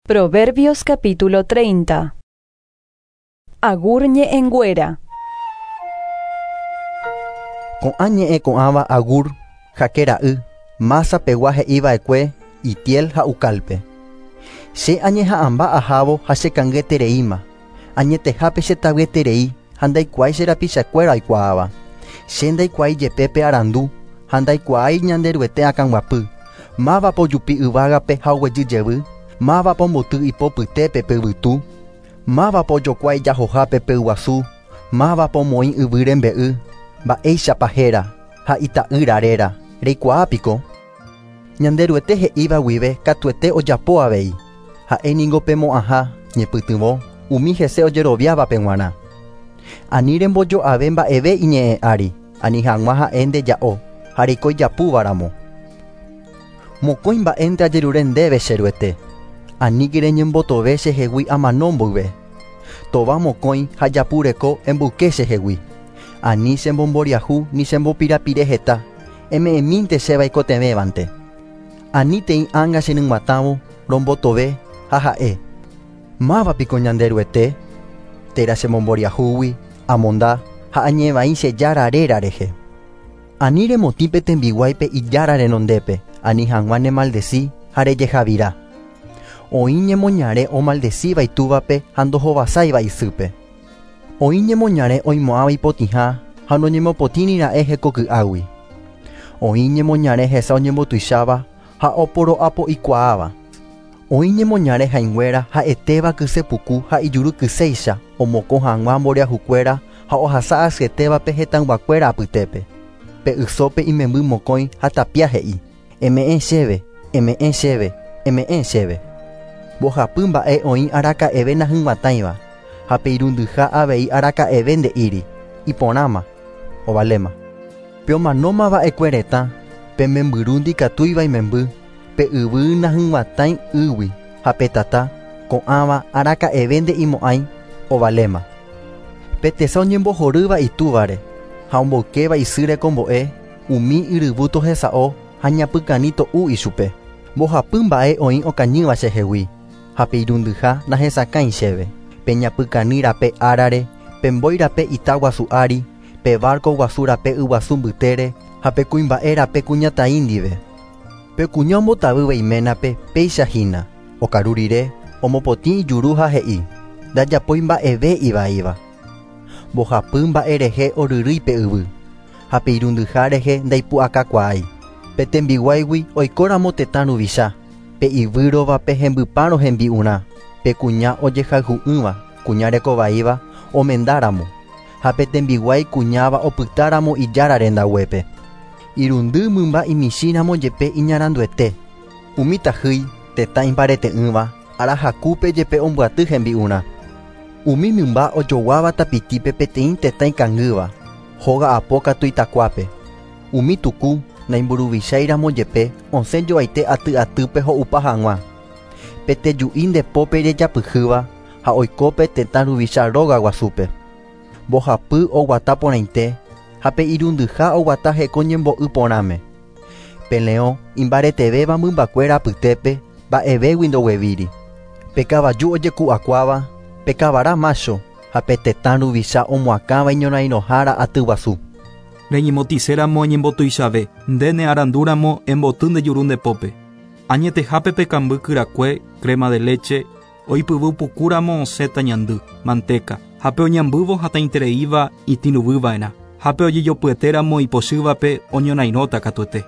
Proverbios capítulo 30. Agur ñe'ẽnguéra. Ko'ã ñe'ẽ ko'ãva Agur, Jaque ra'y, Masa pegua he'iva'ekue Itiel ha Ucálpe. Che añeha'ãmba ahávo ha chekangyetereíma. Añetehápe chetavyeterei ha ndaikuaái che rapichakuéra oikuaáva. Che ndaikuaái jepe pe arandu ha ndaikuaái Ñanderuete akãguapy. Mávapa ojupi yvágape ha oguejy jevy? Mávapa omboty ipo pytépe pe yvytu? Mávapa ojokua ijahohápe pe yguasu? Mávapa omoĩ yvy rembe'y? Mba'éichapa héra ha ita'ýra réra, reikuaa piko? Ñanderuete he'íva guive katuete ojapo avei. Ha'e ningo pe mo'ãha, ñepytyvõ, umi hese ojeroviávape g̃uarã. Ani rembojo'ave mba'eve iñe'ẽ ári, ani hag̃ua ha'e ndeja'o ha reiko ijapúva ramo. Mokõi mba'énte ajerure ndéve che Ruete, aníke reñembotove chehegui amano mboyve. Tova mokõi ha japu reko emboyke chehegui. Ani chembomboriahu ni chembopirapire heta, eme'ẽmínte chéve aikotevẽvante. Anítei ánga cheryg̃uatãvo rombotove ha ha'e, Máva piko Ñanderuete? Térã chemomboriahúgui, amonda ha añe'ẽvai che Jára réra rehe. Ani remotĩ pe tembiguáipe Ijára renondépe, ani hag̃ua nemaldesi ha rejehavira. Oĩ ñemoñare omaldesíva itúvape ha ndohovasáiva isýpe. Oĩ ñemoñare oimo'ãva ipotĩha ha noñemopotĩri ra'e hekoky'águi. Oĩ ñemoñare hesa oñembotuicháva ha oporo'apo'ikuaáva. Oĩ ñemoñare hãinguéra ha'etéva kyse puku ha ijuru kyséicha omokõ hag̃ua mboriahukuéra ha ohasa asyetévape hetãyguakuéra apytépe. Pe ysópe imemby mokõi ha tapia he'i, Eme'ẽ chéve, eme'ẽ chéve, eme'ẽ chéve. Mbohapy mba'e oĩ araka'eve nahyg̃uatãiva, ha pe irundyha avei araka'eve nde'íri, Iporãma, ovaléma. Pe omanóma va'ekue retã, pe membyru ndikatúiva imemby, pe yvy nahyg̃uatãi ýgui ha pe tata, ko'ãva araka'eve nde'imo'ãi, ovaléma. Pe tesa oñembohorýva itúvare ha omboykéva isy rekombo'e, umi yryvu tohesa'o ha ñapykani to'u ichupe. Mbohapy mba'e oĩ okañýva chehegui, ha pe irundyha nahesakãi chéve, pe ñapykani rape árare, pe mbói rape ita guasu ári, pe várko guasu rape yguasu mbytére ha pe kuimba'e rape kuñataĩ ndive. Pe kuña ombotavýva iménape péicha hína, okaru rire, omopotĩ ijuru ha he'i, Ndajapói mba'eve ivaíva. Mbohapy mba'e rehe oryrýi pe yvy, ha pe irundyha rehe ndaipu'akakuaái. Pe tembiguáigui oikóramo tetã ruvicha, pe ivýrovape hembypárõ hembi'urã, pe kuña ojehayhu'ỹva, kuña reko vaíva, omenda ramo, ha pe tembiguái kuñáva opyta ramo ijára rendaguépe. Irundy mymba imichĩ ramo jepe iñaranduete. Umi tahýi, tetã imbarete'ỹva, ára hakúpe jepe ombyaty hembi'urã. Umi mymba ojoguáva tapitípe peteĩ tetã ikangýva, hóga apo katu itakuápe. Umi tuku, naimburuvichái ramo jepe, osẽ joaite aty atýpe ho'upa hag̃ua. Pe teju'i nde pópe rejapyhýva ha oiko pe tetã ruvicha róga guasúpe. Mbohapy oguata porãite ha pe irundyha oguata heko ñembo'y porãme. Pe leõ imbaretevéva mymbakuéra apytépe mba'evégui ndoguevíri. Pe kavaju ojeku'akuáva, pe kavara mácho ha pe tetã ruvicha omoakãva iñorairõhára aty guasu. Reñemotĩséramo eñembotuichave, nde ne arandúramo emboty nde juru nde pópe. Añetehápe pe kamby kyrakue, crema de leche, oipyvy pukúramo osẽta ñandy, manteca, ha pe oñambývo hatãitereíva itĩruvy va'erã, ha pe ojejopyetéramo ipochývape oñorairõta katuete.